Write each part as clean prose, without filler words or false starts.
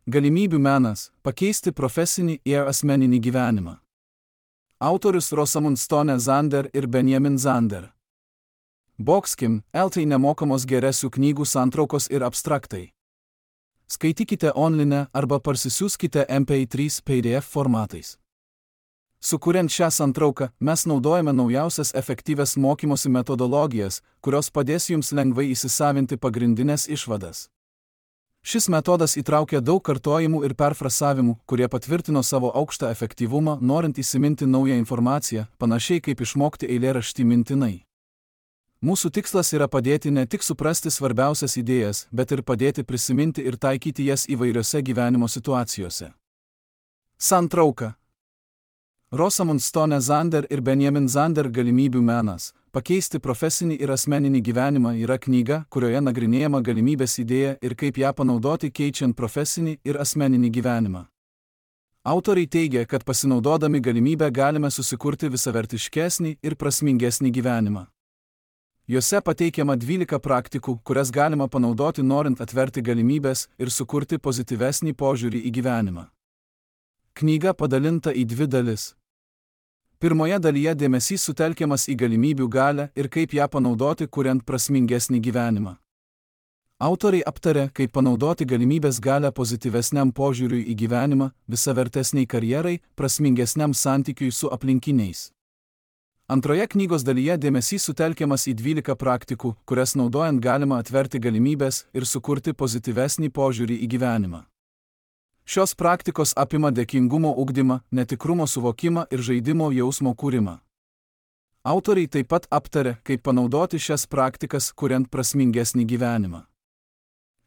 Galimybių menas – pakeisti profesinį ir asmeninį gyvenimą. Autorius Rosamund Stone Zander ir Benjamin Zander. Boxkim, LT nemokamos geresių knygų santraukos ir abstraktai. Skaitykite online arba parsisiųskite MP3 PDF formatais. Sukuriant šią santrauką, mes naudojame naujausias efektyvias mokymosi metodologijas, kurios padės jums lengvai įsisavinti pagrindinės išvadas. Šis metodas įtraukia daug kartojimų ir perfrasavimų, kurie patvirtino savo aukštą efektyvumą, norint įsiminti naują informaciją, panašiai kaip išmokti eilėraštį mintinai. Mūsų tikslas yra padėti ne tik suprasti svarbiausias idėjas, bet ir padėti prisiminti ir taikyti jas įvairiose gyvenimo situacijose. Santrauka. Rosamund Stone Zander ir Benjamin Zander Galimybių menas – pakeisti profesinį ir asmeninį gyvenimą yra knyga, kurioje nagrinėjama galimybės idėja ir kaip ją panaudoti keičiant profesinį ir asmeninį gyvenimą. Autoriai teigia, kad pasinaudodami galimybę galime susikurti visavertiškesnį ir prasmingesnį gyvenimą. Jose pateikiama 12 praktikų, kurias galima panaudoti norint atverti galimybės ir sukurti pozityvesnį požiūrį į gyvenimą. Knyga padalinta į 2 dalis. Pirmoje dalyje dėmesys sutelkiamas į galimybių galią ir kaip ją panaudoti, kuriant prasmingesnį gyvenimą. Autoriai aptarė, kaip panaudoti galimybės galią pozityvesniam požiūriui į gyvenimą, visavertesniai karjerai, prasmingesniam santykiui su aplinkiniais. Antroje knygos dalyje dėmesys sutelkiamas į 12 praktikų, kurias naudojant galima atverti galimybės ir sukurti pozityvesnį požiūrį į gyvenimą. Šios praktikos apima dėkingumo ugdymą, netikrumo suvokimą ir žaidimo jausmo kūrimą. Autoriai taip pat aptarė, kaip panaudoti šias praktikas, kuriant prasmingesnį gyvenimą.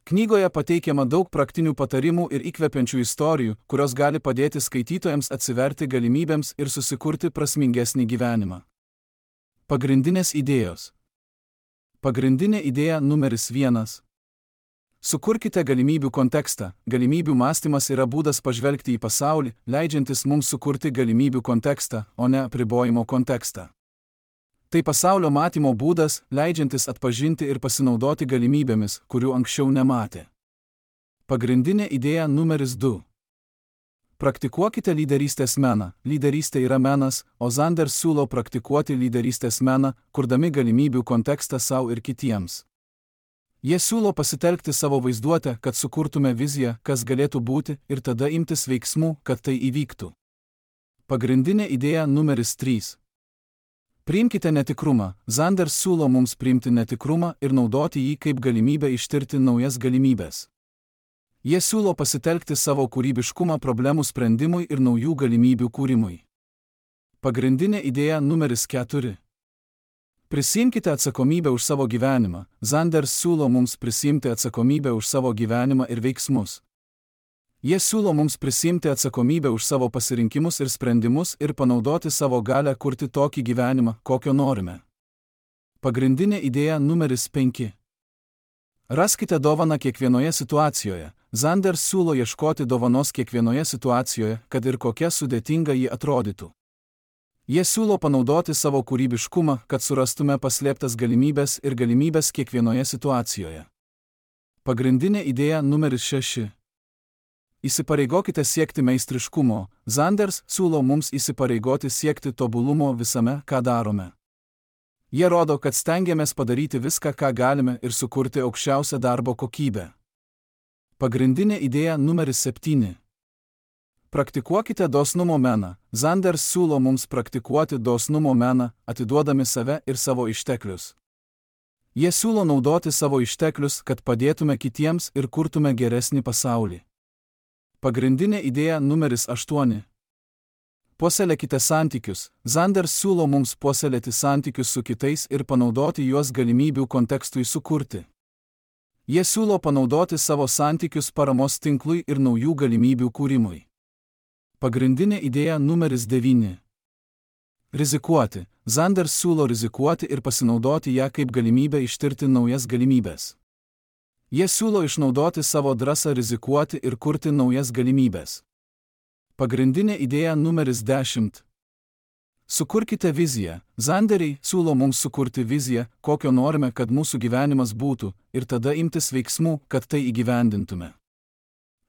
Knygoje pateikiama daug praktinių patarimų ir įkvepiančių istorijų, kurios gali padėti skaitytojams atsiverti galimybėms ir susikurti prasmingesnį gyvenimą. Pagrindinės idėjos. Pagrindinė idėja numeris 1. Sukurkite galimybių kontekstą. Galimybių mąstymas yra būdas pažvelgti į pasaulį, leidžiantis mums sukurti galimybių kontekstą, o ne apribojimo kontekstą. Tai pasaulio matymo būdas, leidžiantis atpažinti ir pasinaudoti galimybėmis, kurių anksčiau nematė. Pagrindinė idėja numeris 2. Praktikuokite lyderystės meną. Lyderystė yra menas, o Zander siūlo praktikuoti lyderystės meną, kurdami galimybių kontekstą savo ir kitiems. Jie siūlo pasitelkti savo vaizduotę, kad sukurtume viziją, kas galėtų būti, ir tada imtis veiksmų, kad tai įvyktų. Pagrindinė idėja numeris 3. Priimkite netikrumą. Zander siūlo mums priimti netikrumą ir naudoti jį kaip galimybę ištirti naujas galimybės. Jie siūlo pasitelkti savo kūrybiškumą problemų sprendimui ir naujų galimybių kūrimui. Pagrindinė idėja numeris 4. Prisiimkite atsakomybę už savo gyvenimą. Zander siūlo mums prisiimti atsakomybę už savo gyvenimą ir veiksmus. Jie siūlo mums prisiimti atsakomybę už savo pasirinkimus ir sprendimus ir panaudoti savo galią kurti tokį gyvenimą, kokio norime. Pagrindinė idėja numeris 5. Raskite dovaną kiekvienoje situacijoje. Zander siūlo ieškoti dovanos kiekvienoje situacijoje, kad ir kokia sudėtinga ji atrodytų. Jie siūlo panaudoti savo kūrybiškumą, kad surastume paslėptas galimybės ir galimybės kiekvienoje situacijoje. Pagrindinė idėja numeris 6. Įsipareigokite siekti meistriškumo. Zanders siūlo mums įsipareigoti siekti tobulumo visame, ką darome. Jie rodo, kad stengiamės padaryti viską, ką galime ir sukurti aukščiausią darbo kokybę. Pagrindinė idėja numeris 7. Praktikuokite dosnumo meną. Zanders siūlo mums praktikuoti dosnumo meną, atiduodami save ir savo išteklius. Jie siūlo naudoti savo išteklius, kad padėtume kitiems ir kurtume geresnį pasaulį. Pagrindinė idėja numeris 8. Puoselėkite santykius. Zanders siūlo mums puoselėti santykius su kitais ir panaudoti juos galimybių kontekstui sukurti. Jie siūlo panaudoti savo santykius paramos tinklui ir naujų galimybių kūrimui. Pagrindinė idėja numeris 9. Rizikuoti. Zanders siūlo rizikuoti ir pasinaudoti ją kaip galimybę ištirti naujas galimybės. Jie siūlo išnaudoti savo drąsą rizikuoti ir kurti naujas galimybės. Pagrindinė idėja numeris 10. Sukurkite viziją. Zanderiai siūlo mums sukurti viziją, kokio norime, kad mūsų gyvenimas būtų, ir tada imtis veiksmų, kad tai įgyvendintume.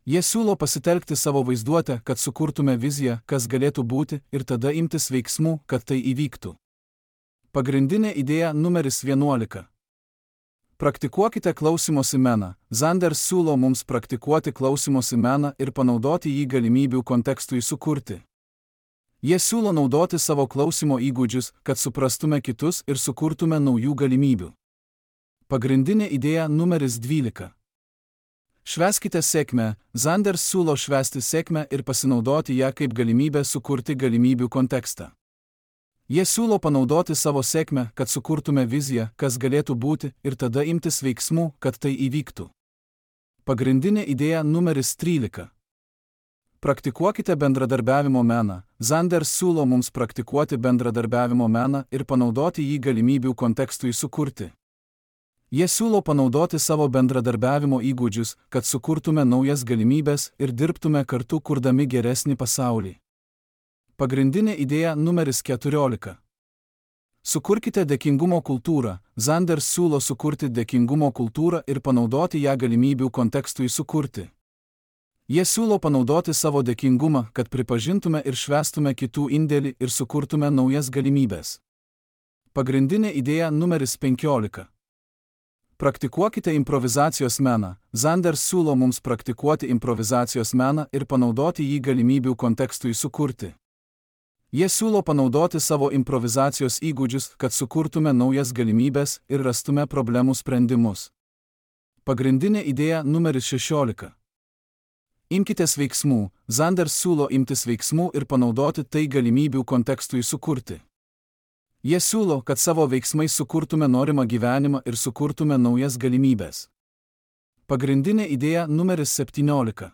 Jie siūlo pasitelkti savo vaizduotę, kad sukurtume viziją, kas galėtų būti, ir tada imtis veiksmų, kad tai įvyktų. Pagrindinė idėja numeris 11. Praktikuokite klausymosi meną. Zanders siūlo mums praktikuoti klausymosi meną ir panaudoti jį galimybių kontekstui sukurti. Jie siūlo naudoti savo klausymo įgūdžius, kad suprastume kitus ir sukurtume naujų galimybių. Pagrindinė idėja numeris 12. Švęskite sėkmę. Zanders siūlo švęsti sėkmę ir pasinaudoti ją kaip galimybę sukurti galimybių kontekstą. Jie siūlo panaudoti savo sėkmę, kad sukurtume viziją, kas galėtų būti, ir tada imtis veiksmų, kad tai įvyktų. Pagrindinė idėja numeris 13. Praktikuokite bendradarbiavimo meną. Zanders siūlo mums praktikuoti bendradarbiavimo meną ir panaudoti jį galimybių kontekstui sukurti. Jie siūlo panaudoti savo bendradarbiavimo įgūdžius, kad sukurtume naujas galimybės ir dirbtume kartu kurdami geresnį pasaulį. Pagrindinė idėja numeris 14. Sukurkite dėkingumo kultūrą. Zanders siūlo sukurti dėkingumo kultūrą ir panaudoti ją galimybių kontekstui sukurti. Jie siūlo panaudoti savo dėkingumą, kad pripažintume ir švęstume kitų indėlį ir sukurtume naujas galimybės. Pagrindinė idėja numeris 15. Praktikuokite improvizacijos meną. Zanders siūlo mums praktikuoti improvizacijos meną ir panaudoti jį galimybių kontekstui sukurti. Jie siūlo panaudoti savo improvizacijos įgūdžius, kad sukurtume naujas galimybės ir rastume problemų sprendimus. Pagrindinė idėja numeris 16. Imkitės veiksmų. Zanders siūlo imtis veiksmų ir panaudoti tai galimybių kontekstui sukurti. Jie siūlo, kad savo veiksmais sukurtume norimą gyvenimą ir sukurtume naujas galimybės. Pagrindinė idėja numeris 17.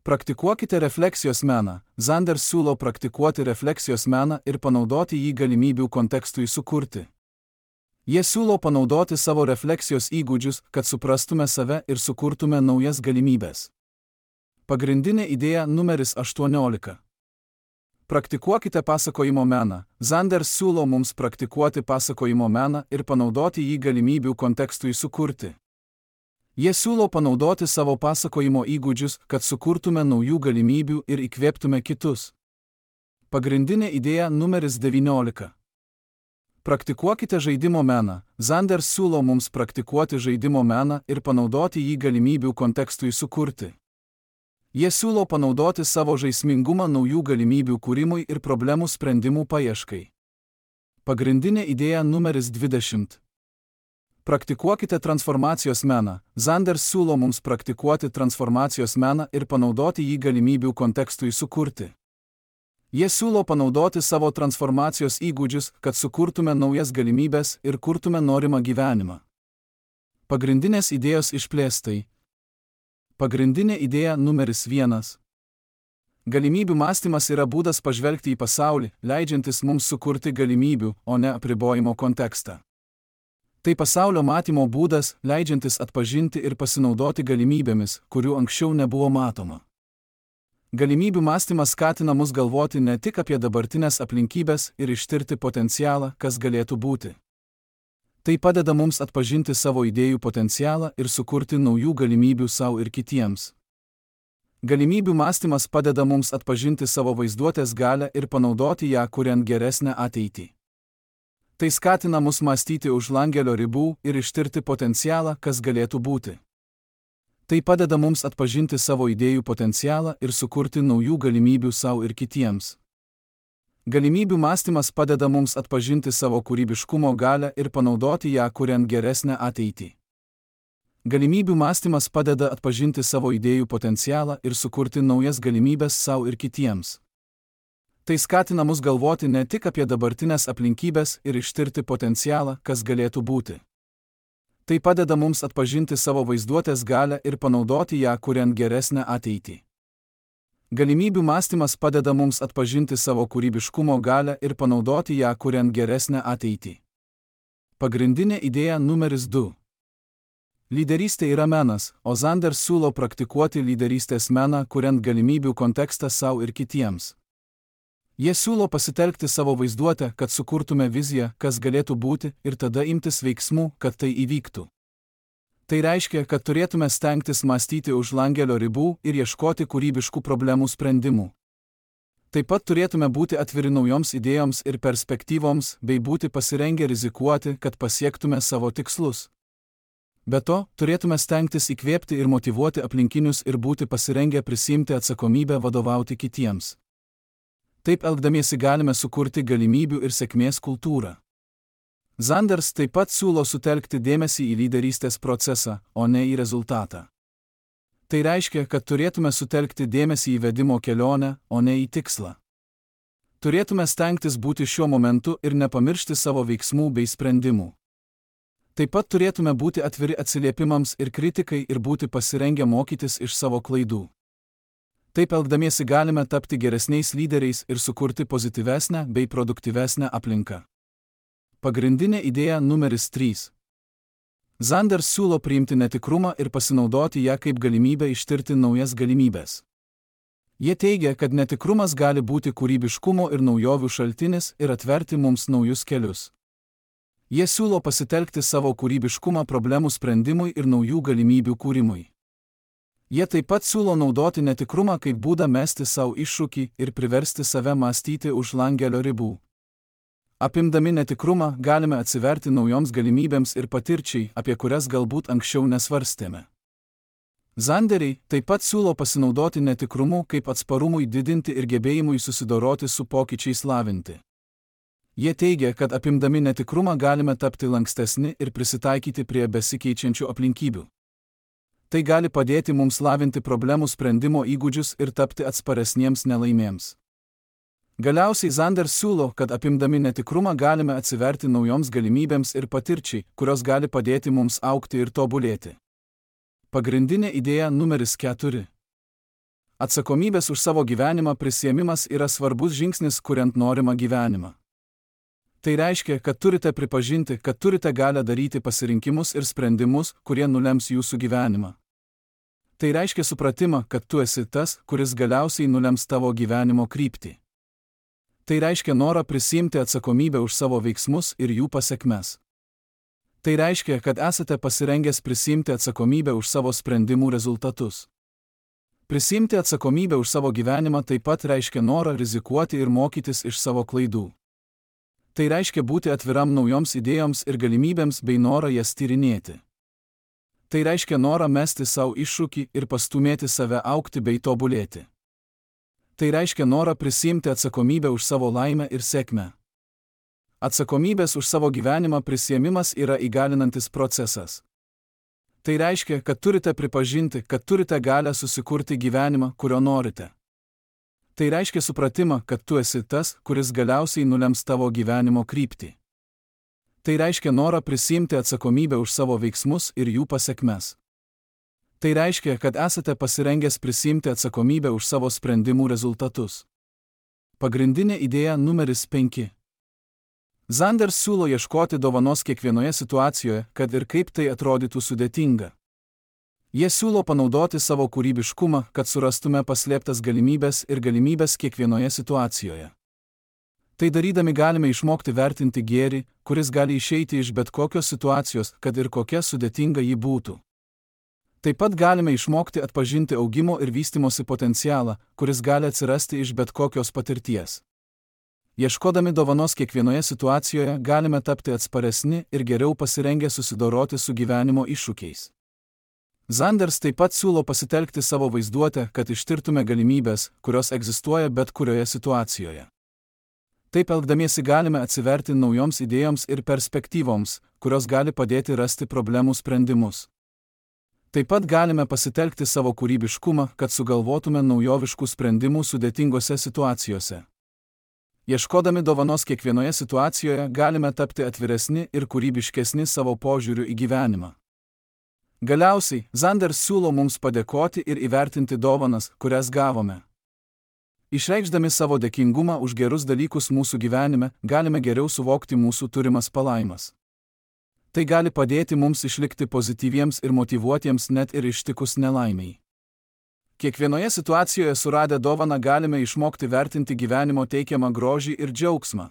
Praktikuokite refleksijos meną. Zanders siūlo praktikuoti refleksijos meną ir panaudoti jį galimybių kontekstui sukurti. Jie siūlo panaudoti savo refleksijos įgūdžius, kad suprastume save ir sukurtume naujas galimybės. Pagrindinė idėja numeris 18. Praktikuokite pasakojimo meną. Zanders siūlo mums praktikuoti pasakojimo meną ir panaudoti jį galimybių kontekstui sukurti. Jie siūlo panaudoti savo pasakojimo įgūdžius, kad sukurtume naujų galimybių ir įkvėptume kitus. Pagrindinė idėja numeris 19. Praktikuokite žaidimo meną. Zanders siūlo mums praktikuoti žaidimo meną ir panaudoti jį galimybių kontekstui sukurti. Jie siūlo panaudoti savo žaismingumą naujų galimybių kūrimui ir problemų sprendimų paieškai. Pagrindinė idėja numeris 20. Praktikuokite transformacijos meną. Zanders siūlo mums praktikuoti transformacijos meną ir panaudoti jį galimybių kontekstui sukurti. Jie siūlo panaudoti savo transformacijos įgūdžius, kad sukurtume naujas galimybės ir kurtume norimą gyvenimą. Pagrindinės idėjos išplėstai. Pagrindinė idėja numeris 1. Galimybių mąstymas yra būdas pažvelgti į pasaulį, leidžiantis mums sukurti galimybių, o ne apribojimo kontekstą. Tai pasaulio matymo būdas, leidžiantis atpažinti ir pasinaudoti galimybėmis, kurių anksčiau nebuvo matoma. Galimybių mąstymas skatina mus galvoti ne tik apie dabartinės aplinkybės ir ištirti potencialą, kas galėtų būti. Tai padeda mums atpažinti savo idėjų potencialą ir sukurti naujų galimybių savo ir kitiems. Galimybių mąstymas padeda mums atpažinti savo vaizduotės galią ir panaudoti ją, kuriant geresnę ateitį. Tai skatina mus mąstyti už langelio ribų ir ištirti potencialą, kas galėtų būti. Tai padeda mums atpažinti savo idėjų potencialą ir sukurti naujų galimybių savo ir kitiems. Galimybių mąstymas padeda mums atpažinti savo kūrybiškumo galią ir panaudoti ją, kuriant geresnę ateitį. Galimybių mąstymas padeda atpažinti savo idėjų potencialą ir sukurti naujas galimybės savo ir kitiems. Tai skatina mus galvoti ne tik apie dabartinės aplinkybės ir ištirti potencialą, kas galėtų būti. Tai padeda mums atpažinti savo vaizduotės galią ir panaudoti ją, kuriant geresnę ateitį. Galimybių mąstymas padeda mums atpažinti savo kūrybiškumo galią ir panaudoti ją, kuriant geresnę ateitį. Pagrindinė idėja numeris 2. Lyderystė yra menas, o Zanders siūlo praktikuoti lyderystės meną, kuriant galimybių kontekstą savo ir kitiems. Jie siūlo pasitelkti savo vaizduotę, kad sukurtume viziją, kas galėtų būti, ir tada imtis veiksmų, kad tai įvyktų. Tai reiškia, kad turėtume stengtis mąstyti už langelio ribų ir ieškoti kūrybiškų problemų sprendimų. Taip pat turėtume būti atviri naujoms idėjoms ir perspektyvoms bei būti pasirengę rizikuoti, kad pasiektume savo tikslus. Be to, turėtume stengtis įkvėpti ir motyvuoti aplinkinius ir būti pasirengę prisiimti atsakomybę vadovauti kitiems. Taip elgdamiesi galime sukurti galimybių ir sėkmės kultūrą. Zanders taip pat siūlo sutelkti dėmesį į lyderystės procesą, o ne į rezultatą. Tai reiškia, kad turėtume sutelkti dėmesį į vedimo kelionę, o ne į tikslą. Turėtume stengtis būti šiuo momentu ir nepamiršti savo veiksmų bei sprendimų. Taip pat turėtume būti atviri atsiliepimams ir kritikai ir būti pasirengę mokytis iš savo klaidų. Taip elgdamiesi galime tapti geresniais lyderiais ir sukurti pozityvesnę bei produktyvesnę aplinką. Pagrindinė idėja numeris 3. Zanders siūlo priimti netikrumą ir pasinaudoti ją kaip galimybę ištirti naujas galimybės. Jie teigia, kad netikrumas gali būti kūrybiškumo ir naujovių šaltinis ir atverti mums naujus kelius. Jie siūlo pasitelkti savo kūrybiškumą problemų sprendimui ir naujų galimybių kūrimui. Jie taip pat siūlo naudoti netikrumą kaip būdą mesti savo iššūkį ir priversti save mąstyti už langelio ribų. Apimdami netikrumą galime atsiverti naujoms galimybėms ir patirčiai, apie kurias galbūt anksčiau nesvarstėme. Zanderiai taip pat siūlo pasinaudoti netikrumu kaip atsparumui didinti ir gebėjimui susidoroti su pokyčiais lavinti. Jie teigia, kad apimdami netikrumą galime tapti lankstesni ir prisitaikyti prie besikeičiančių aplinkybių. Tai gali padėti mums lavinti problemų sprendimo įgūdžius ir tapti atsparesniems nelaimėms. Galiausiai Zanders siūlo, kad apimdami netikrumą galime atsiverti naujoms galimybėms ir patirčiai, kurios gali padėti mums augti ir tobulėti. Pagrindinė idėja numeris 4. Atsakomybės už savo gyvenimą prisiėmimas yra svarbus žingsnis, kuriant norimą gyvenimą. Tai reiškia, kad turite pripažinti, kad turite galią daryti pasirinkimus ir sprendimus, kurie nulems jūsų gyvenimą. Tai reiškia supratimą, kad tu esi tas, kuris galiausiai nulems tavo gyvenimo kryptį. Tai reiškia norą prisiimti atsakomybę už savo veiksmus ir jų pasekmes. Tai reiškia, kad esate pasirengęs prisiimti atsakomybę už savo sprendimų rezultatus. Prisiimti atsakomybę už savo gyvenimą taip pat reiškia norą rizikuoti ir mokytis iš savo klaidų. Tai reiškia būti atviram naujoms idėjoms ir galimybėms bei norą jas tyrinėti. Tai reiškia norą mesti savo iššūkį ir pastumėti save augti bei tobulėti. Tai reiškia norą prisiimti atsakomybę už savo laimę ir sėkmę. Atsakomybės už savo gyvenimą prisiėmimas yra įgalinantis procesas. Tai reiškia, kad turite pripažinti, kad turite galią susikurti gyvenimą, kurio norite. Tai reiškia supratimą, kad tu esi tas, kuris galiausiai nulems tavo gyvenimo kryptį. Tai reiškia norą prisiimti atsakomybę už savo veiksmus ir jų pasekmes. Tai reiškia, kad esate pasirengęs prisiimti atsakomybę už savo sprendimų rezultatus. Pagrindinė idėja numeris 5. Zanders siūlo ieškoti dovanos kiekvienoje situacijoje, kad ir kaip tai atrodytų sudėtinga. Jie siūlo panaudoti savo kūrybiškumą, kad surastume paslėptas galimybės ir galimybės kiekvienoje situacijoje. Tai darydami galime išmokti vertinti gėrį, kuris gali išeiti iš bet kokios situacijos, kad ir kokia sudėtinga ji būtų. Taip pat galime išmokti atpažinti augimo ir vystimosi potencialą, kuris gali atsirasti iš bet kokios patirties. Ieškodami dovanos kiekvienoje situacijoje galime tapti atsparesni ir geriau pasirengę susidoroti su gyvenimo iššūkiais. Zanders taip pat siūlo pasitelkti savo vaizduotę, kad ištirtume galimybės, kurios egzistuoja bet kurioje situacijoje. Taip elgdamiesi galime atsiverti naujoms idėjoms ir perspektyvoms, kurios gali padėti rasti problemų sprendimus. Taip pat galime pasitelkti savo kūrybiškumą, kad sugalvotume naujoviškų sprendimų sudėtingose situacijose. Ieškodami dovanos kiekvienoje situacijoje galime tapti atviresni ir kūrybiškesni savo požiūriu į gyvenimą. Galiausiai, Zanders siūlo mums padėkoti ir įvertinti dovanas, kurias gavome. Išreikšdami savo dėkingumą už gerus dalykus mūsų gyvenime, galime geriau suvokti mūsų turimas palaimas. Tai gali padėti mums išlikti pozityviems ir motyvuotiems net ir ištikus nelaimiai. Kiekvienoje situacijoje suradę dovaną galime išmokti vertinti gyvenimo teikiamą grožį ir džiaugsmą.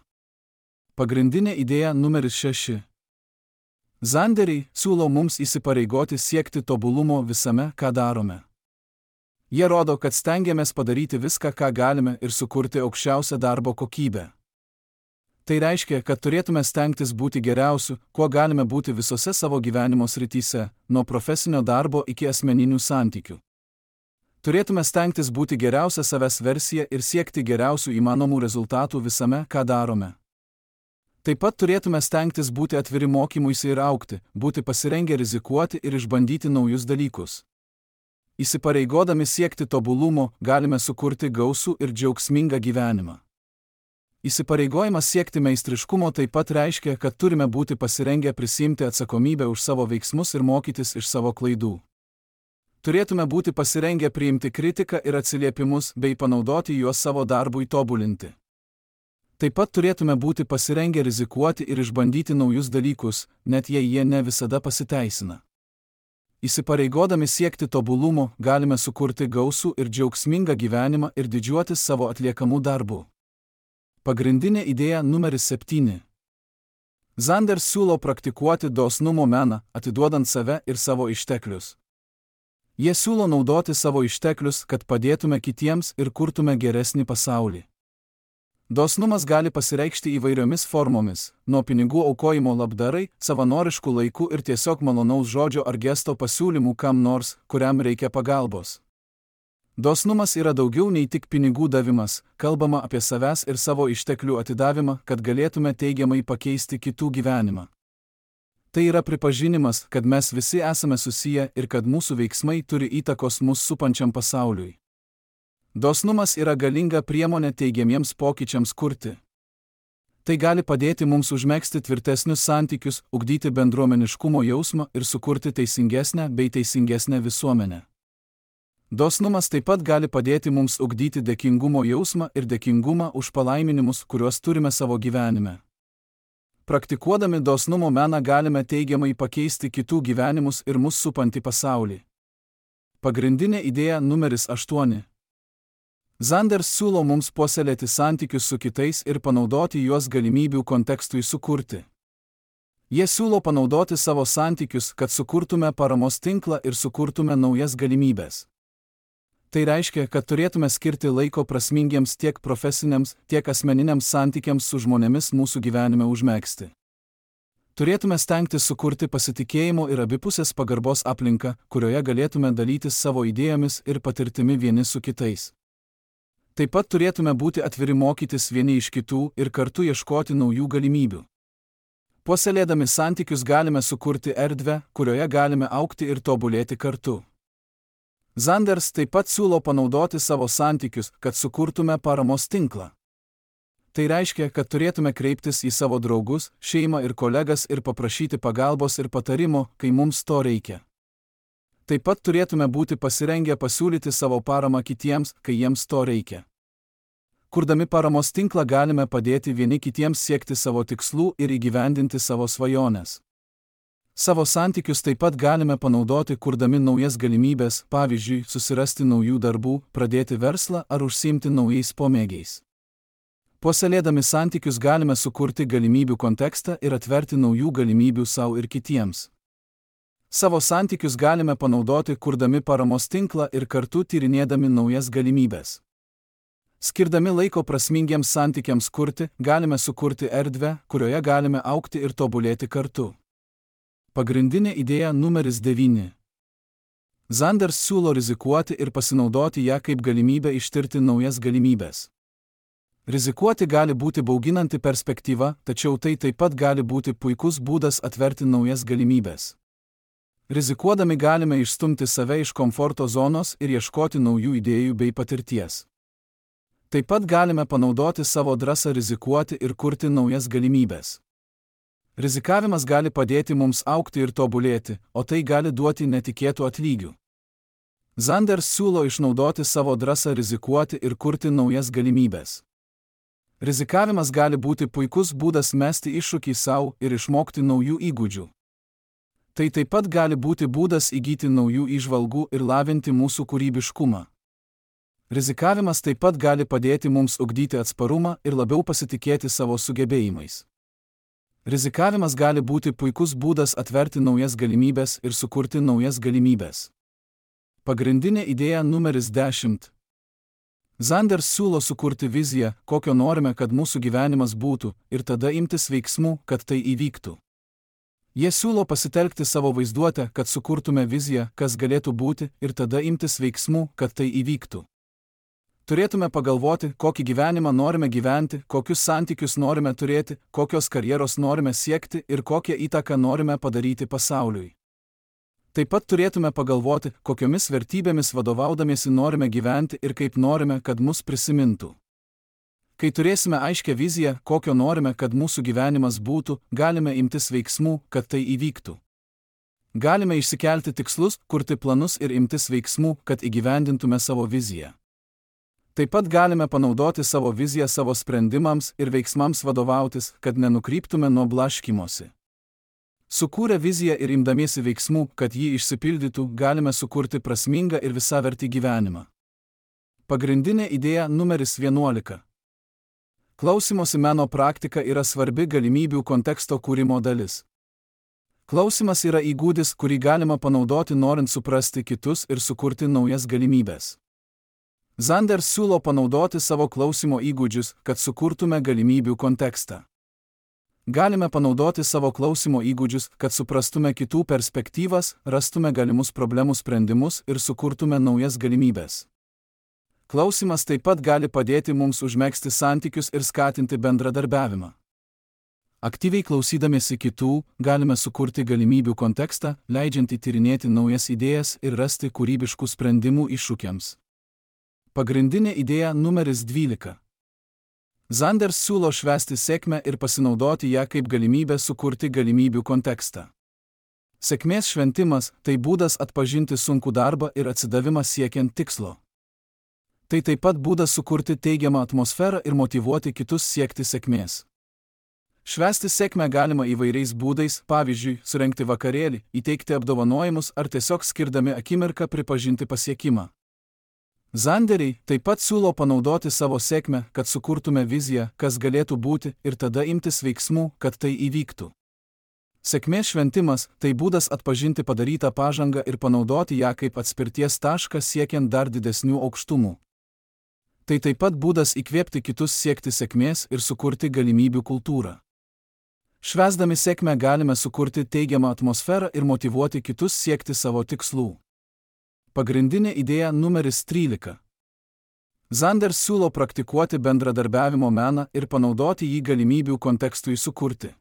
Pagrindinė idėja numeris 6. Zanderiai siūlo mums įsipareigoti siekti tobulumo visame, ką darome. Jie rodo, kad stengiamės padaryti viską, ką galime ir sukurti aukščiausią darbo kokybę. Tai reiškia, kad turėtume stengtis būti geriausiu, kuo galime būti visose savo gyvenimo srityse, nuo profesinio darbo iki asmeninių santykių. Turėtume stengtis būti geriausia savęs versija ir siekti geriausių įmanomų rezultatų visame, ką darome. Taip pat turėtume stengtis būti atviri mokymuisi ir augti, būti pasirengę rizikuoti ir išbandyti naujus dalykus. Įsipareigodami siekti tobulumo, galime sukurti gausų ir džiaugsmingą gyvenimą. Įsipareigojimas siekti meistriškumo taip pat reiškia, kad turime būti pasirengę prisiimti atsakomybę už savo veiksmus ir mokytis iš savo klaidų. Turėtume būti pasirengę priimti kritiką ir atsiliepimus bei panaudoti juos savo darbui tobulinti. Taip pat turėtume būti pasirengę rizikuoti ir išbandyti naujus dalykus, net jei jie ne visada pasiteisina. Įsipareigodami siekti tobulumo, galime sukurti gausų ir džiaugsmingą gyvenimą ir didžiuotis savo atliekamų darbų. Pagrindinė idėja numeris 7. Zanders siūlo praktikuoti dosnumo meną, atiduodant save ir savo išteklius. Jie siūlo naudoti savo išteklius, kad padėtume kitiems ir kurtume geresnį pasaulį. Dosnumas gali pasireikšti įvairiomis formomis, nuo pinigų aukojimo labdarai, savanoriškų laikų ir tiesiog malonaus žodžio ar gesto pasiūlymų kam nors, kuriam reikia pagalbos. Dosnumas yra daugiau nei tik pinigų davimas, kalbama apie savęs ir savo išteklių atidavimą, kad galėtume teigiamai pakeisti kitų gyvenimą. Tai yra pripažinimas, kad mes visi esame susiję ir kad mūsų veiksmai turi įtakos mus supančiam pasauliui. Dosnumas yra galinga priemonė teigiamiems pokyčiams kurti. Tai gali padėti mums užmegzti tvirtesnius santykius, ugdyti bendruomeniškumo jausmą ir sukurti teisingesnę bei teisingesnę visuomenę. Dosnumas taip pat gali padėti mums ugdyti dėkingumo jausmą ir dėkingumą už palaiminimus, kuriuos turime savo gyvenime. Praktikuodami dosnumo meną galime teigiamai pakeisti kitų gyvenimus ir mus supantį pasaulį. Pagrindinė idėja numeris 8. Zanders siūlo mums puoselėti santykius su kitais ir panaudoti juos galimybių kontekstui sukurti. Jie siūlo panaudoti savo santykius, kad sukurtume paramos tinklą ir sukurtume naujas galimybės. Tai reiškia, kad turėtume skirti laiko prasmingiems tiek profesiniams, tiek asmeniniams santykiams su žmonėmis mūsų gyvenime užmegzti. Turėtume stengtis sukurti pasitikėjimo ir abipusės pagarbos aplinką, kurioje galėtume dalytis savo idėjomis ir patirtimi vieni su kitais. Taip pat turėtume būti atviri mokytis vieni iš kitų ir kartu ieškoti naujų galimybių. Puoselėdami santykius galime sukurti erdvę, kurioje galime augti ir tobulėti kartu. Zanders taip pat siūlo panaudoti savo santykius, kad sukurtume paramos tinklą. Tai reiškia, kad turėtume kreiptis į savo draugus, šeimą ir kolegas ir paprašyti pagalbos ir patarimo, kai mums to reikia. Taip pat turėtume būti pasirengę pasiūlyti savo paramą kitiems, kai jiems to reikia. Kurdami paramos tinklą galime padėti vieni kitiems siekti savo tikslų ir įgyvendinti savo svajones. Savo santykius taip pat galime panaudoti kurdami naujas galimybės, pavyzdžiui, susirasti naujų darbų, pradėti verslą ar užsiimti naujais pomėgiais. Puoselėdami santykius galime sukurti galimybių kontekstą ir atverti naujų galimybių sau ir kitiems. Savo santykius galime panaudoti kurdami paramos tinklą ir kartu tyrinėdami naujas galimybės. Skirdami laiko prasmingiems santykiams kurti, galime sukurti erdvę, kurioje galime augti ir tobulėti kartu. Pagrindinė idėja numeris 9. Zanders siūlo rizikuoti ir pasinaudoti ją kaip galimybę ištirti naujas galimybės. Rizikuoti gali būti bauginanti perspektyva, tačiau tai taip pat gali būti puikus būdas atverti naujas galimybės. Rizikuodami galime išstumti save iš komforto zonos ir ieškoti naujų idėjų bei patirties. Taip pat galime panaudoti savo drąsą rizikuoti ir kurti naujas galimybės. Rizikavimas gali padėti mums augti ir tobulėti, o tai gali duoti netikėtų atlygių. Zanders siūlo išnaudoti savo drąsą rizikuoti ir kurti naujas galimybės. Rizikavimas gali būti puikus būdas mesti iššūkį savo ir išmokti naujų įgūdžių. Tai taip pat gali būti būdas įgyti naujų įžvalgų ir lavinti mūsų kūrybiškumą. Rizikavimas taip pat gali padėti mums ugdyti atsparumą ir labiau pasitikėti savo sugebėjimais. Rizikavimas gali būti puikus būdas atverti naujas galimybės ir sukurti naujas galimybės. Pagrindinė idėja numeris 10. Zander siūlo sukurti viziją, kokio norime, kad mūsų gyvenimas būtų, ir tada imtis veiksmų, kad tai įvyktų. Jie siūlo pasitelkti savo vaizduotę, kad sukurtume viziją, kas galėtų būti, ir tada imtis veiksmų, kad tai įvyktų. Turėtume pagalvoti, kokį gyvenimą norime gyventi, kokius santykius norime turėti, kokios karjeros norime siekti ir kokią įtaką norime padaryti pasauliui. Taip pat turėtume pagalvoti, kokiomis vertybėmis vadovaudamiesi norime gyventi ir kaip norime, kad mus prisimintų. Kai turėsime aiškią viziją, kokio norime, kad mūsų gyvenimas būtų, galime imtis veiksmų, kad tai įvyktų. Galime išsikelti tikslus, kurti planus ir imtis veiksmų, kad įgyvendintume savo viziją. Taip pat galime panaudoti savo viziją savo sprendimams ir veiksmams vadovautis, kad nenukryptume nuo blaškymosi. Sukūrę viziją ir imdamiesi veiksmų, kad ji išsipildytų, galime sukurti prasmingą ir visavertį gyvenimą. Pagrindinė idėja numeris 11. Klausymosi meno praktika yra svarbi galimybių konteksto kūrimo dalis. Klausymas yra įgūdis, kurį galima panaudoti norint suprasti kitus ir sukurti naujas galimybės. Zander siūlo panaudoti savo klausymo įgūdžius, kad sukurtume galimybių kontekstą. Galime panaudoti savo klausymo įgūdžius, kad suprastume kitų perspektyvas, rastume galimus problemų sprendimus ir sukurtume naujas galimybės. Klausymas taip pat gali padėti mums užmegzti santykius ir skatinti bendradarbiavimą. Aktyviai klausydamiesi kitų, galime sukurti galimybių kontekstą, leidžiantį tyrinėti naujas idėjas ir rasti kūrybiškų sprendimų iššūkiams. Pagrindinė idėja numeris 12. Zander siūlo švęsti sėkmę ir pasinaudoti ją kaip galimybę sukurti galimybių kontekstą. Sėkmės šventimas – tai būdas atpažinti sunkų darbą ir atsidavimą siekiant tikslo. Tai taip pat būdas sukurti teigiamą atmosferą ir motyvuoti kitus siekti sėkmės. Švęsti sėkmę galima įvairiais būdais, pavyzdžiui, surengti vakarėlį, įteikti apdovanojimus ar tiesiog skirdami akimirką pripažinti pasiekimą. Zanderiai taip pat siūlo panaudoti savo sėkmę, kad sukurtume viziją, kas galėtų būti, ir tada imtis veiksmų, kad tai įvyktų. Sėkmės šventimas – tai būdas atpažinti padarytą pažangą ir panaudoti ją kaip atspirties tašką siekiant dar didesnių aukštumų. Tai taip pat būdas įkvėpti kitus siekti sėkmės ir sukurti galimybių kultūrą. Švęsdami sėkmę galime sukurti teigiamą atmosferą ir motyvuoti kitus siekti savo tikslų. Pagrindinė idėja numeris 13. Zander siūlo praktikuoti bendradarbiavimo meną ir panaudoti jį galimybių kontekstui sukurti.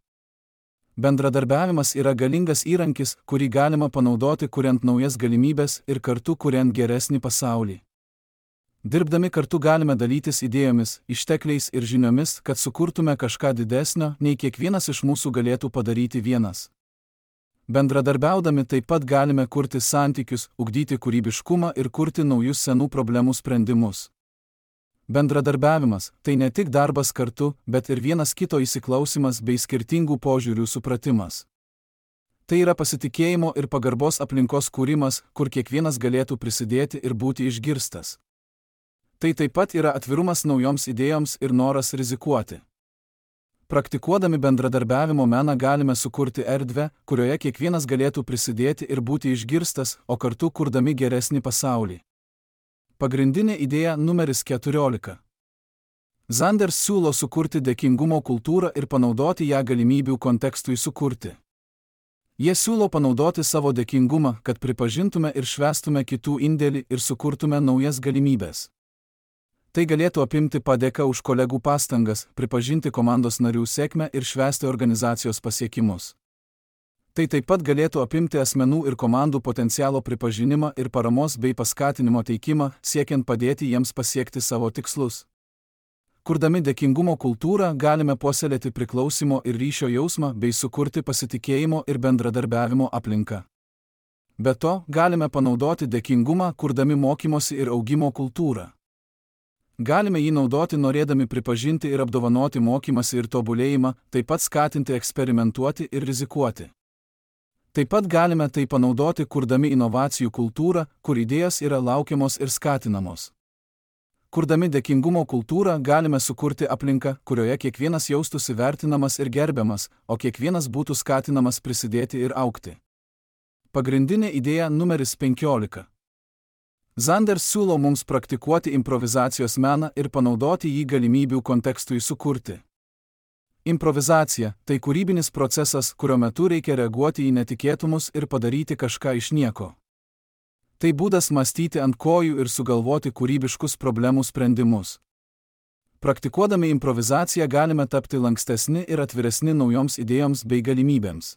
Bendradarbiavimas yra galingas įrankis, kurį galima panaudoti kuriant naujas galimybės ir kartu kuriant geresnį pasaulį. Dirbdami kartu galime dalytis idėjomis, ištekliais ir žiniomis, kad sukurtume kažką didesnio, nei kiekvienas iš mūsų galėtų padaryti vienas. Bendradarbiaudami taip pat galime kurti santykius, ugdyti kūrybiškumą ir kurti naujus senų problemų sprendimus. Bendradarbiavimas – tai ne tik darbas kartu, bet ir vienas kito įsiklausymas bei skirtingų požiūrių supratimas. Tai yra pasitikėjimo ir pagarbos aplinkos kūrimas, kur kiekvienas galėtų prisidėti ir būti išgirstas. Tai taip pat yra atvirumas naujoms idėjoms ir noras rizikuoti. Praktikuodami bendradarbiavimo meną galime sukurti erdvę, kurioje kiekvienas galėtų prisidėti ir būti išgirstas, o kartu kurdami geresnį pasaulį. Pagrindinė idėja numeris 14. Zander siūlo sukurti dėkingumo kultūrą ir panaudoti ją galimybių kontekstui sukurti. Jie siūlo panaudoti savo dėkingumą, kad pripažintume ir švęstume kitų indėlį ir sukurtume naujas galimybės. Tai galėtų apimti padėką už kolegų pastangas, pripažinti komandos narių sėkmę ir švęsti organizacijos pasiekimus. Tai taip pat galėtų apimti asmenų ir komandų potencialo pripažinimą ir paramos bei paskatinimo teikimą, siekiant padėti jiems pasiekti savo tikslus. Kurdami dėkingumo kultūrą galime puoselėti priklausymo ir ryšio jausmą bei sukurti pasitikėjimo ir bendradarbiavimo aplinką. Be to, galime panaudoti dėkingumą, kurdami mokymosi ir augimo kultūrą. Galime jį naudoti norėdami pripažinti ir apdovanoti mokymąsi ir tobulėjimą, taip pat skatinti eksperimentuoti ir rizikuoti. Taip pat galime tai panaudoti kurdami inovacijų kultūrą, kur idėjos yra laukiamos ir skatinamos. Kurdami dėkingumo kultūrą galime sukurti aplinką, kurioje kiekvienas jaustųsi vertinamas ir gerbiamas, o kiekvienas būtų skatinamas prisidėti ir augti. Pagrindinė idėja numeris 15. Zander siūlo mums praktikuoti improvizacijos meną ir panaudoti jį galimybių kontekstui sukurti. Improvizacija – tai kūrybinis procesas, kurio metu reikia reaguoti į netikėtumus ir padaryti kažką iš nieko. Tai būdas mąstyti ant kojų ir sugalvoti kūrybiškus problemų sprendimus. Praktikuodami improvizaciją galime tapti lankstesni ir atviresni naujoms idėjoms bei galimybėms.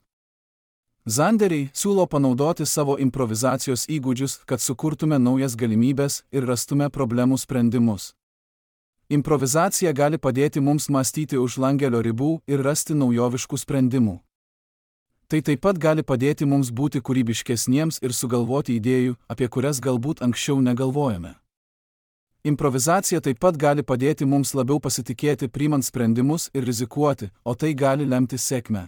Zanderiai siūlo panaudoti savo improvizacijos įgūdžius, kad sukurtume naujas galimybės ir rastume problemų sprendimus. Improvizacija gali padėti mums mąstyti už langelio ribų ir rasti naujoviškų sprendimų. Tai taip pat gali padėti mums būti kūrybiškesniems ir sugalvoti idėjų, apie kurias galbūt anksčiau negalvojame. Improvizacija taip pat gali padėti mums labiau pasitikėti priimant sprendimus ir rizikuoti, o tai gali lemti sėkmę.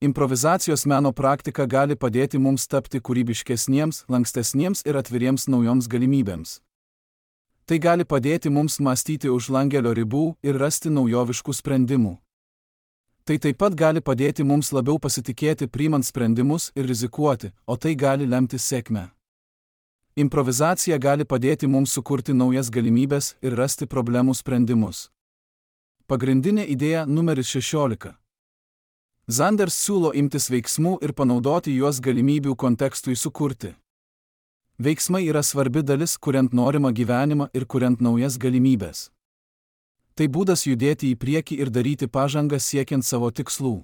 Improvizacijos meno praktika gali padėti mums tapti kūrybiškesniems, lankstesniems ir atviriems naujoms galimybėms. Tai gali padėti mums mąstyti už langelio ribų ir rasti naujoviškų sprendimų. Tai taip pat gali padėti mums labiau pasitikėti priimant sprendimus ir rizikuoti, o tai gali lemti sėkmę. Improvizacija gali padėti mums sukurti naujas galimybės ir rasti problemų sprendimus. Pagrindinė idėja numeris 16. Zanders siūlo imtis veiksmų ir panaudoti juos galimybių kontekstui sukurti. Veiksmai yra svarbi dalis, kuriant norimą gyvenimą ir kuriant naujas galimybės. Tai būdas judėti į priekį ir daryti pažangą siekiant savo tikslų.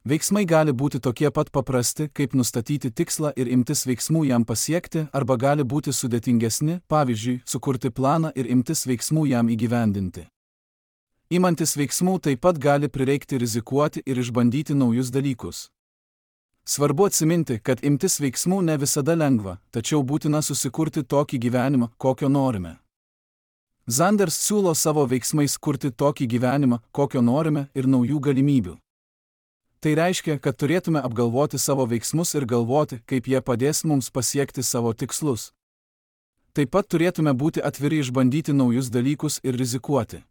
Veiksmai gali būti tokie pat paprasti, kaip nustatyti tikslą ir imtis veiksmų jam pasiekti, arba gali būti sudėtingesni, pavyzdžiui, sukurti planą ir imtis veiksmų jam įgyvendinti. Imantis veiksmų taip pat gali prireikti rizikuoti ir išbandyti naujus dalykus. Svarbu atsiminti, kad imtis veiksmų ne visada lengva, tačiau būtina susikurti tokį gyvenimą, kokio norime. Zanders siūlo savo veiksmais kurti tokį gyvenimą, kokio norime, ir naujų galimybių. Tai reiškia, kad turėtume apgalvoti savo veiksmus ir galvoti, kaip jie padės mums pasiekti savo tikslus. Taip pat turėtume būti atviri išbandyti naujus dalykus ir rizikuoti.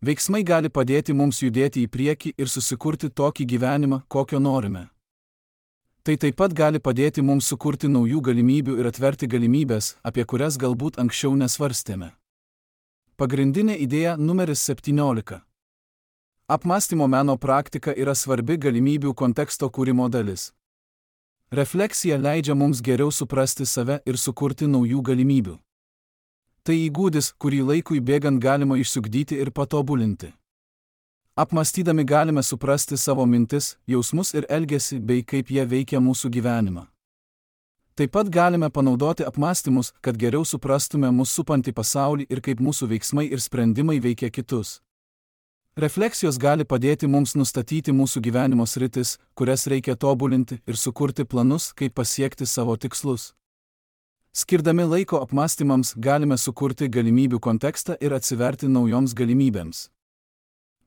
Veiksmai gali padėti mums judėti į priekį ir susikurti tokį gyvenimą, kokio norime. Tai taip pat gali padėti mums sukurti naujų galimybių ir atverti galimybės, apie kurias galbūt anksčiau nesvarstėme. Pagrindinė idėja numeris 17. Apmąstymo meno praktika yra svarbi galimybių konteksto kūrimo dalis. Refleksija leidžia mums geriau suprasti save ir sukurti naujų galimybių. Tai įgūdis, kurį laikui bėgant galima išsiugdyti ir patobulinti. Apmąstydami galime suprasti savo mintis, jausmus ir elgesį bei kaip jie veikia mūsų gyvenimą. Taip pat galime panaudoti apmąstymus, kad geriau suprastume mūsų supantį pasaulį ir kaip mūsų veiksmai ir sprendimai veikia kitus. Refleksijos gali padėti mums nustatyti mūsų gyvenimo sritis, kurias reikia tobulinti ir sukurti planus, kaip pasiekti savo tikslus. Skirdami laiko apmąstymams galime sukurti galimybių kontekstą ir atsiverti naujoms galimybėms.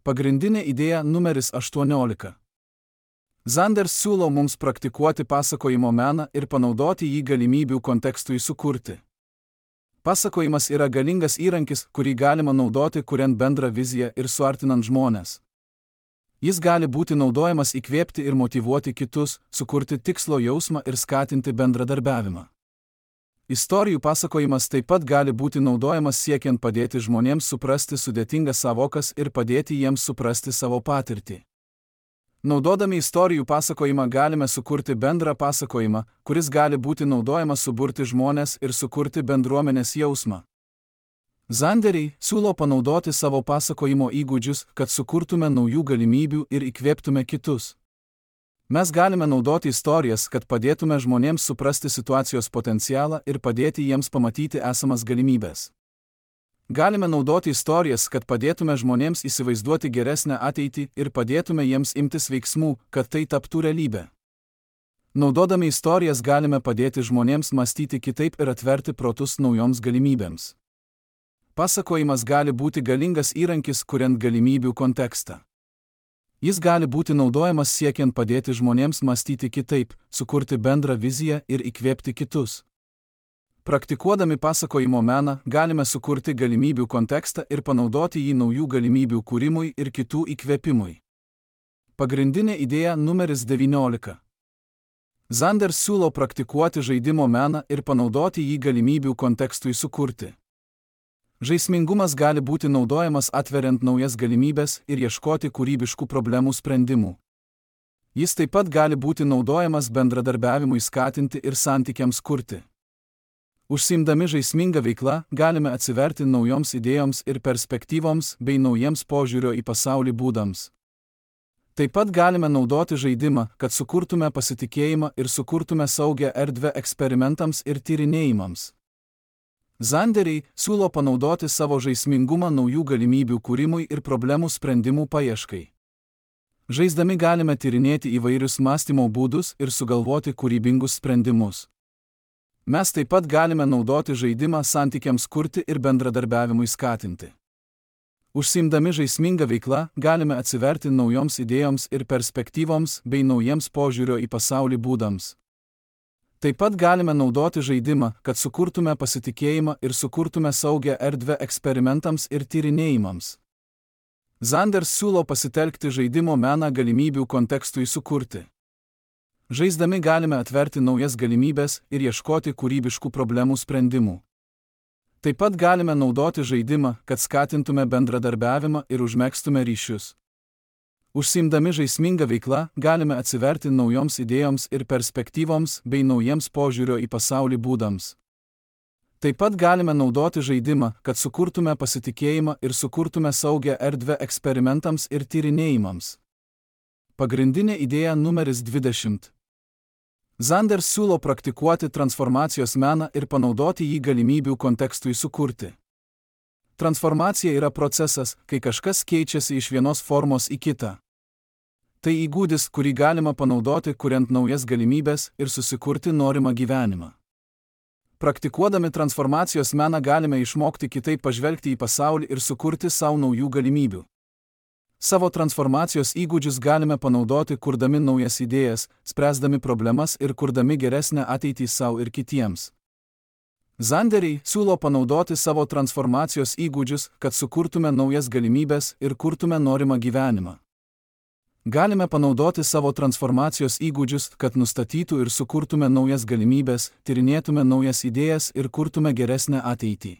Pagrindinė idėja numeris 18. Zanders siūlo mums praktikuoti pasakojimo meną ir panaudoti jį galimybių kontekstui sukurti. Pasakojimas yra galingas įrankis, kurį galima naudoti kuriant bendrą viziją ir suartinant žmones. Jis gali būti naudojamas įkvėpti ir motyvuoti kitus, sukurti tikslo jausmą ir skatinti bendradarbiavimą. Istorijų pasakojimas taip pat gali būti naudojamas siekiant padėti žmonėms suprasti sudėtingas savokas ir padėti jiems suprasti savo patirtį. Naudodami istorijų pasakojimą galime sukurti bendrą pasakojimą, kuris gali būti naudojamas suburti žmones ir sukurti bendruomenės jausmą. Zanderiai siūlo panaudoti savo pasakojimo įgūdžius, kad sukurtume naujų galimybių ir įkvėptume kitus. Mes galime naudoti istorijas, kad padėtume žmonėms suprasti situacijos potencialą ir padėti jiems pamatyti esamas galimybės. Galime naudoti istorijas, kad padėtume žmonėms įsivaizduoti geresnę ateitį ir padėtume jiems imtis veiksmų, kad tai taptų realybė. Naudodami istorijas galime padėti žmonėms mąstyti kitaip ir atverti protus naujoms galimybėms. Pasakojimas gali būti galingas įrankis, kuriant galimybių kontekstą. Jis gali būti naudojamas siekiant padėti žmonėms mąstyti kitaip, sukurti bendrą viziją ir įkvėpti kitus. Praktikuodami pasakojimo meną galime sukurti galimybių kontekstą ir panaudoti jį naujų galimybių kūrimui ir kitų įkvėpimui. Pagrindinė idėja numeris 19. Zander siūlo praktikuoti žaidimo meną ir panaudoti jį galimybių kontekstui sukurti. Žaismingumas gali būti naudojamas atveriant naujas galimybės ir ieškoti kūrybiškų problemų sprendimų. Jis taip pat gali būti naudojamas bendradarbiavimui skatinti ir santykiams kurti. Užsiimdami žaismingą veiklą galime atsiverti naujoms idėjoms ir perspektyvoms bei naujiems požiūrio į pasaulį būdams. Taip pat galime naudoti žaidimą, kad sukurtume pasitikėjimą ir sukurtume saugią erdvę eksperimentams ir tyrinėjimams. Zanderiai siūlo panaudoti savo žaismingumą naujų galimybių kūrimui ir problemų sprendimų paieškai. Žaisdami galime tyrinėti įvairius mąstymo būdus ir sugalvoti kūrybingus sprendimus. Mes taip pat galime naudoti žaidimą santykiams kurti ir bendradarbiavimui skatinti. Užsiimdami žaismingą veiklą galime atsiverti naujoms idėjoms ir perspektyvoms bei naujiems požiūrio į pasaulį būdams. Taip pat galime naudoti žaidimą, kad sukurtume pasitikėjimą ir sukurtume saugią erdvę eksperimentams ir tyrinėjimams. Zander siūlo pasitelkti žaidimo meną galimybių kontekstui sukurti. Žaisdami galime atverti naujas galimybės ir ieškoti kūrybiškų problemų sprendimų. Taip pat galime naudoti žaidimą, kad skatintume bendradarbiavimą ir užmegztume ryšius. Užsiimdami žaismingą veiklą galime atsiverti naujoms idėjoms ir perspektyvoms bei naujiems požiūrio į pasaulį būdams. Taip pat galime naudoti žaidimą, kad sukurtume pasitikėjimą ir sukurtume saugią erdvę eksperimentams ir tyrinėjimams. Pagrindinė idėja numeris 20. Zander siūlo praktikuoti transformacijos meną ir panaudoti jį galimybių kontekstui sukurti. Transformacija yra procesas, kai kažkas keičiasi iš vienos formos į kitą. Tai įgūdis, kurį galima panaudoti, kuriant naujas galimybės ir susikurti norimą gyvenimą. Praktikuodami transformacijos meną galime išmokti kitaip pažvelgti į pasaulį ir sukurti savo naujų galimybių. Savo transformacijos įgūdžius galime panaudoti, kurdami naujas idėjas, spręsdami problemas ir kurdami geresnę ateitį savo ir kitiems. Zanderiai siūlo panaudoti savo transformacijos įgūdžius, kad sukurtume naujas galimybės ir kurtume norimą gyvenimą. Galime panaudoti savo transformacijos įgūdžius, kad nustatytų ir sukurtume naujas galimybės, tyrinėtume naujas idėjas ir kurtume geresnę ateitį.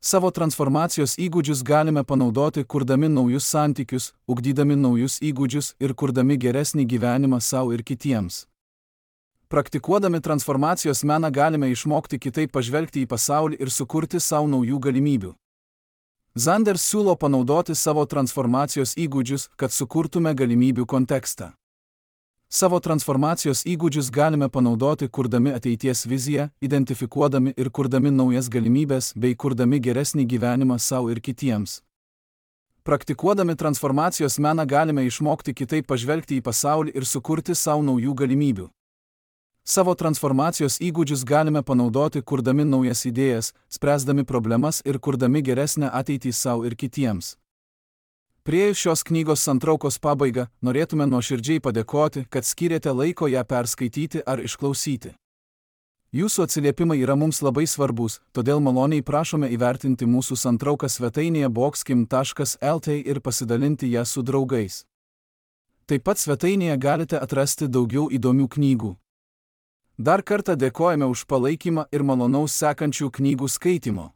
Savo transformacijos įgūdžius galime panaudoti, kurdami naujus santykius, ugdydami naujus įgūdžius ir kurdami geresnį gyvenimą savo ir kitiems. Praktikuodami transformacijos meną galime išmokti kitaip pažvelgti į pasaulį ir sukurti savo naujų galimybių. Zander siūlo panaudoti savo transformacijos įgūdžius, kad sukurtume galimybių kontekstą. Savo transformacijos įgūdžius galime panaudoti, kurdami ateities viziją, identifikuodami ir kurdami naujas galimybės bei kurdami geresnį gyvenimą savo ir kitiems. Praktikuodami transformacijos meną galime išmokti kitaip pažvelgti į pasaulį ir sukurti savo naujų galimybių. Savo transformacijos įgūdžius galime panaudoti, kurdami naujas idėjas, spręsdami problemas ir kurdami geresnę ateitį savo ir kitiems. Priėjus šios knygos santraukos pabaigą, norėtume nuoširdžiai padėkoti, kad skyrėte laiko ją perskaityti ar išklausyti. Jūsų atsiliepimai yra mums labai svarbus, todėl maloniai prašome įvertinti mūsų santrauką svetainėje boxkim.lt ir pasidalinti ją su draugais. Taip pat svetainėje galite atrasti daugiau įdomių knygų. Dar kartą dėkojame už palaikymą ir malonaus sekančių knygų skaitymo.